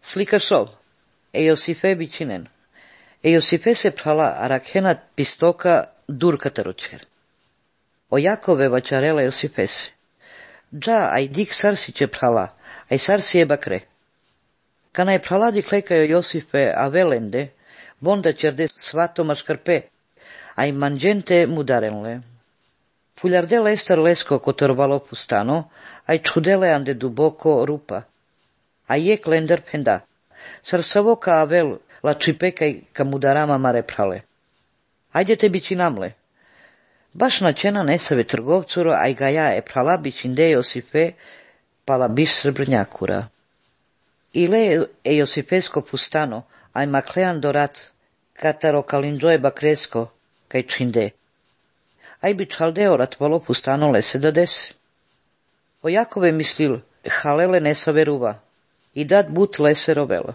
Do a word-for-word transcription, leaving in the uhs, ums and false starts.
Slika sov. E Iosife bichinen. E Iosife se phala arakena pistoka durka tarucher. O Jakove vačarela Iosifese. Ja, ai dik sarsi ce phala, ai sarsi e bakre. Kana je phala dik lekajo Iosife avelende, vonda čerde svato maškarpe, ai manđente mudarenle. Fuljardela estar lesko kotorvalo pustano, ai čudele ande duboko rupa. Ai je klender penda. Sarsavo ka avel la čipekaj ka mudarama mare prale. Ajde te bići namle. Baš načena nesave trgovcuro, aj ga ja e prala bićinde Iosife, pala biš srebrnjakura. Ile e Iosifesko pustano, aj maklean dorat, kataro kalinđoje bakresko, kaj činde. Aj bi čaldeo ratvalo pustano lese da desi. O Jakove mislil, halele nesave ruva, i dat but lese rovelo.